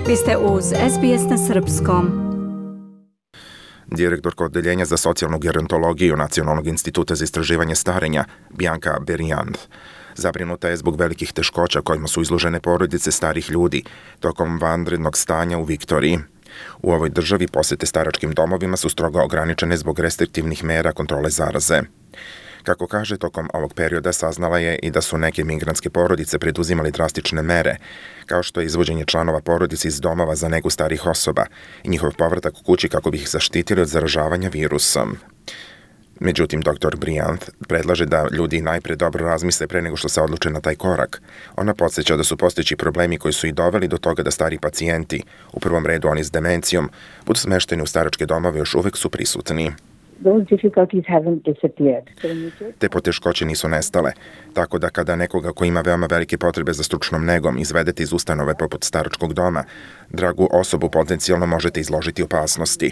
Vi ste uz SBS na srpskom. Direktorka Odeljenja za socijalnu gerontologiju Nacionalnog instituta za istraživanje starenja, Bianca Beriand, zabrinuta je zbog velikih teškoća kojima su izložene porodice starih ljudi tokom vanrednog stanja u Viktoriji. U ovoj državi posete staračkim domovima su strogo ograničene zbog restriktivnih mera kontrole zaraze. Kako kaže, tokom ovog perioda saznala je i da su neke migrantske porodice preduzimali drastične mere, kao što je izvođenje članova porodice iz domova za negu starih osoba i njihov povratak u kući kako bi ih zaštitili od zaražavanja virusom. Međutim, dr. Briand predlaže da ljudi najpre dobro razmisle pre nego što se odluče na taj korak. Ona podsjeća da su postojeći problemi koji su i doveli do toga da stari pacijenti, u prvom redu oni s demencijom, budu smešteni u staračke domove, još uvek su prisutni. Te poteškoće nisu nestale, tako da kada nekoga ko ima veoma velike potrebe za stručnom negom izvedete iz ustanove poput staračkog doma, dragu osobu potencijalno možete izložiti opasnosti.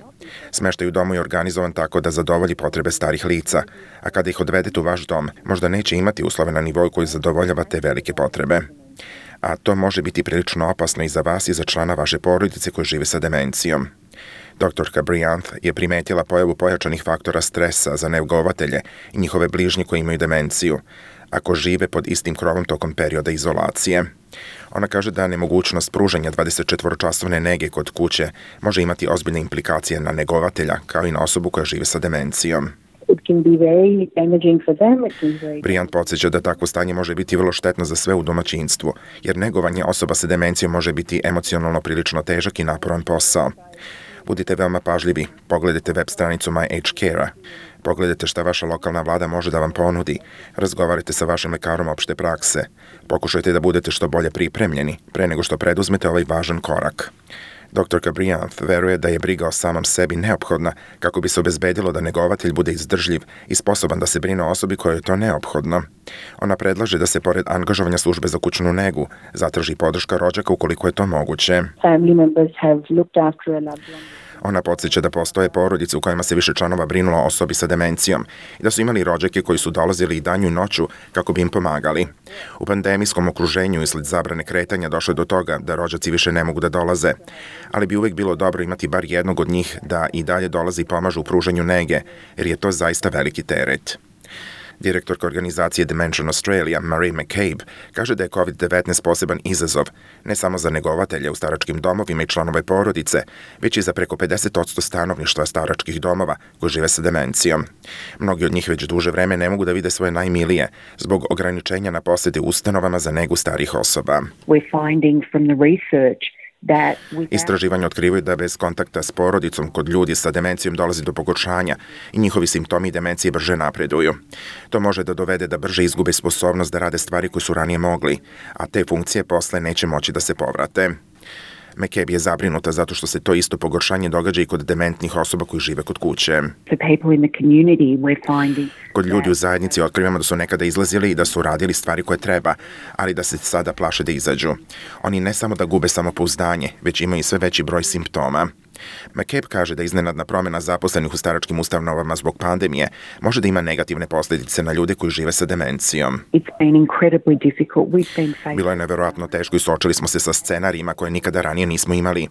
Smeštaj u domu je organizovan tako da zadovolji potrebe starih lica, a kada ih odvedete u vaš dom, možda neće imati uslove na nivou koji zadovoljava te velike potrebe. A to može biti prilično opasno i za vas i za člana vaše porodice koji žive sa demencijom. Doktorka Briand je primetila pojavu pojačanih faktora stresa za negovatelje i njihove bližnje koji imaju demenciju, ako žive pod istim krovom tokom perioda izolacije. Ona kaže da nemogućnost pružanja 24-časovne nege kod kuće može imati ozbiljne implikacije na negovatelja kao i na osobu koja žive sa demencijom. Briand podsjeća da takvo stanje može biti vrlo štetno za sve u domaćinstvu, jer negovanje osoba sa demencijom može biti emocionalno prilično težak i naporan posao. Budite veoma pažljivi, pogledajte web stranicu My Age Care-a, pogledajte šta vaša lokalna vlada može da vam ponudi, razgovarajte sa vašim lekarom opšte prakse, pokušajte da budete što bolje pripremljeni pre nego što preduzmete ovaj važan korak. Dr. Briand veruje da je briga o samom sebi neophodna kako bi se obezbedilo da negovatelj bude izdržljiv i sposoban da se brine o osobi kojoj je to neophodno. Ona predlaže da se pored angažovanja službe za kućnu negu zatraži podrška rođaka ukoliko je to moguće. Ona podsjeća da postoje porodice u kojima se više članova brinulo o osobi sa demencijom i da su imali rođake koji su dolazili i danju i noću kako bi im pomagali. U pandemijskom okruženju usled zabrane kretanja došlo je do toga da rođaci više ne mogu da dolaze, ali bi uvek bilo dobro imati bar jednog od njih da i dalje dolazi i pomažu u pružanju nege, jer je to zaista veliki teret. Direktorka organizacije Dementia Australia, Marie McCabe, kaže da je COVID-19 poseban izazov, ne samo za negovatelje u staračkim domovima i članove porodice, već i za preko 50% stanovništva staračkih domova koji žive sa demencijom. Mnogi od njih već duže vreme ne mogu da vide svoje najmilije zbog ograničenja na posete ustanovama za negu starih osoba. Istraživanja otkrivaju da bez kontakta s porodicom kod ljudi sa demencijom dolazi do pogoršanja i njihovi simptomi demencije brže napreduju. To može da dovede da brže izgube sposobnost da rade stvari koje su ranije mogli, a te funkcije posle neće moći da se povrate. McCabe je zabrinuta zato što se to isto pogoršanje događa i kod dementnih osoba koji žive kod kuće. Kod ljudi u zajednici otkrivamo da su nekada izlazili i da su radili stvari koje treba, ali da se sada plaše da izađu. Oni ne samo da gube samopouzdanje, već imaju sve veći broj simptoma. McCabe kaže da iznenadna promjena zaposlenih u staračkim ustanovama zbog pandemije može da ima negativne posljedice na ljude koji žive sa demencijom. Bilo je neverovatno teško i suočili smo se sa scenarijima koje nikada ranije nismo imali.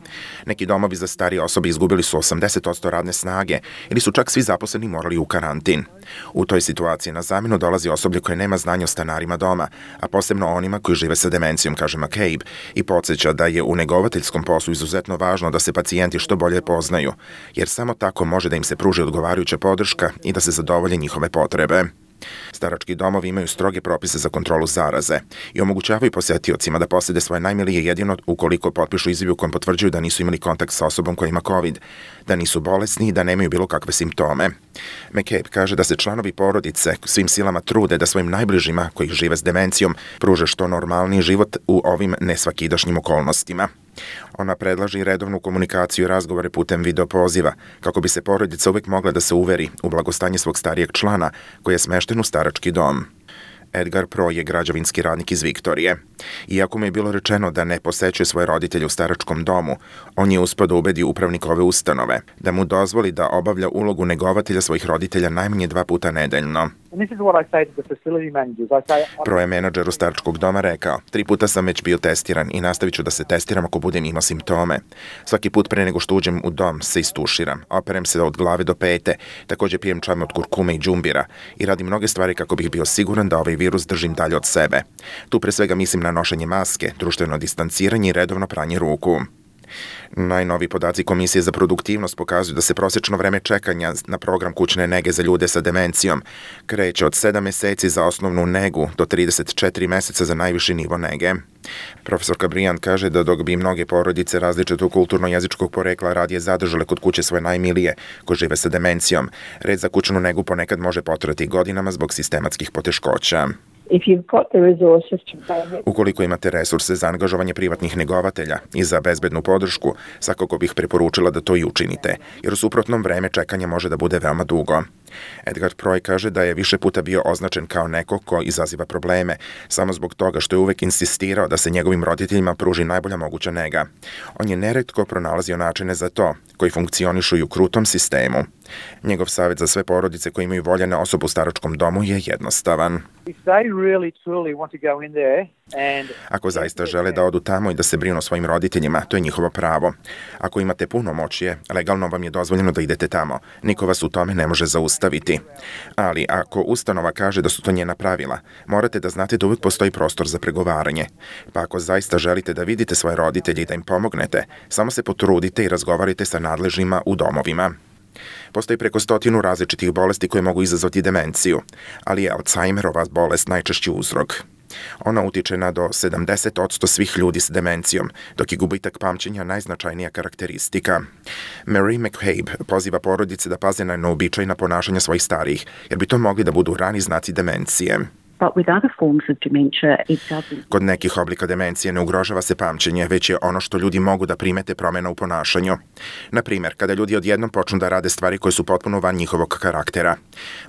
Neki domovi za starije osobe izgubili su 80% radne snage ili su čak svi zaposleni morali u karantin. U toj situaciji na zamenu dolazi osoblje koje nema znanja o stanarima doma, a posebno onima koji žive sa demencijom, kaže McCabe, i podsjeća da je u negovateljskom poslu izuzetno važno da se pacijenti što bolje poznaju, jer samo tako može da im se pruži odgovarajuća podrška i da se zadovolje njihove potrebe. Starački domovi imaju stroge propise za kontrolu zaraze i omogućavaju posetiocima da posete svoje najmilije jedino ukoliko potpišu izjavu u kojem potvrđuju da nisu imali kontakt sa osobom koja ima COVID, da nisu bolesni i da nemaju bilo kakve simptome. McCabe kaže da se članovi porodice svim silama trude da svojim najbližima koji žive s demencijom pruže što normalniji život u ovim nesvakidašnjim okolnostima. Ona predlaže i redovnu komunikaciju i razgovore putem video poziva, kako bi se porodica uvek mogla da se uveri u blagostanje svog starijeg člana koji je smešten u starački dom. Edgar Pro je građevinski radnik iz Viktorije. Iako mu je bilo rečeno da ne posećuje svoje roditelje u staračkom domu, on je uspeo da ubedi upravnika ove ustanove da mu dozvoli da obavlja ulogu negovatelja svojih roditelja najmanje 2 puta nedeljno. Pro je menadžeru staračkog doma rekao: 3 puta sam već bio testiran i nastavit ću da se testiram ako budem imao simptome. Svaki put pre nego što uđem u dom se istuširam, operem se od glave do pete, takođe pijem čaj od kurkume i džumbira i radim mnoge stvari kako bih bio siguran da ovaj virus držim dalje od sebe. Tu pre svega mislim na nošenje maske, društveno distanciranje i redovno pranje ruku. Najnoviji podaci Komisije za produktivnost pokazuju da se prosečno vreme čekanja na program kućne nege za ljude sa demencijom kreće od 7 meseci za osnovnu negu do 34 meseca za najviši nivo nege. Profesorka Briand kaže da dok bi mnoge porodice različitog kulturno-jezičkog porekla radije zadržale kod kuće svoje najmilije koji žive sa demencijom, red za kućnu negu ponekad može potrajati godinama zbog sistematskih poteškoća. Ukoliko imate resurse za angažovanje privatnih negovatelja i za bezbednu podršku, svakako bih preporučila da to i učinite, jer u suprotnom vreme čekanja može da bude veoma dugo. Edgar Proj kaže da je više puta bio označen kao neko ko izaziva probleme, samo zbog toga što je uvek insistirao da se njegovim roditeljima pruži najbolja moguća nega. On je neretko pronalazio načine za to, koji funkcionišu i u krutom sistemu. Njegov savjet za sve porodice koji imaju voljene osobe u staračkom domu je jednostavan. Ako zaista žele da odu tamo i da se brinu o svojim roditeljima, to je njihovo pravo. Ako imate punomoćje, legalno vam je dozvoljeno da idete tamo. Niko vas u tome ne može zaustaviti. Ali ako ustanova kaže da su to njena pravila, morate da znate da uvijek postoji prostor za pregovaranje. Pa ako zaista želite da vidite svoje roditelje i da im pomognete, samo se potrudite i razgovarajte sa nadležnima u domovima. Postoji preko 100 različitih bolesti koje mogu izazvati demenciju, ali je Alzheimerova bolest najčešći uzrok. Ona utiče na do 70% svih ljudi s demencijom, dok je gubitak pamćenja najznačajnija karakteristika. Mary McCabe poziva porodice da paze na neobičajna ponašanja svojih starijih, jer bi to mogli da budu rani znaci demencije. Kod nekih oblika demencije ne ugrožava se pamćenje, već je ono što ljudi mogu da primete promena u ponašanju. Na primjer, kada ljudi odjednom počnu da rade stvari koje su potpuno van njihovog karaktera.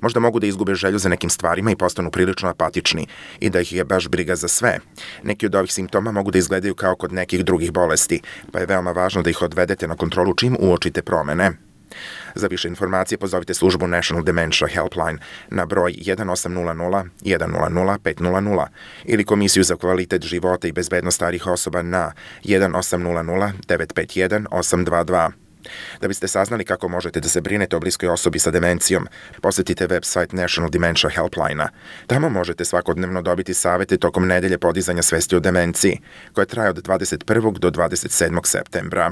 Možda mogu da izgube želju za nekim stvarima i postanu prilično apatični i da ih je baš briga za sve. Neki od ovih simptoma mogu da izgledaju kao kod nekih drugih bolesti, pa je veoma važno da ih odvedete na kontrolu čim uočite promene. Za više informacije pozovite službu National Dementia Helpline na broj 1800 100 500 ili Komisiju za kvalitet života i bezbednost starijih osoba na 1800 951 822. Da biste saznali kako možete da se brinete o bliskoj osobi sa demencijom, posetite website National Dementia Helpline-a. Tamo možete svakodnevno dobiti savete tokom nedelje podizanja svesti o demenciji, koja traje od 21. do 27. septembra.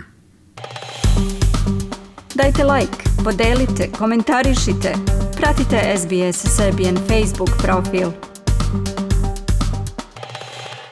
Dajte like, podelite, komentarišite, pratite SBS Serbian Facebook profil.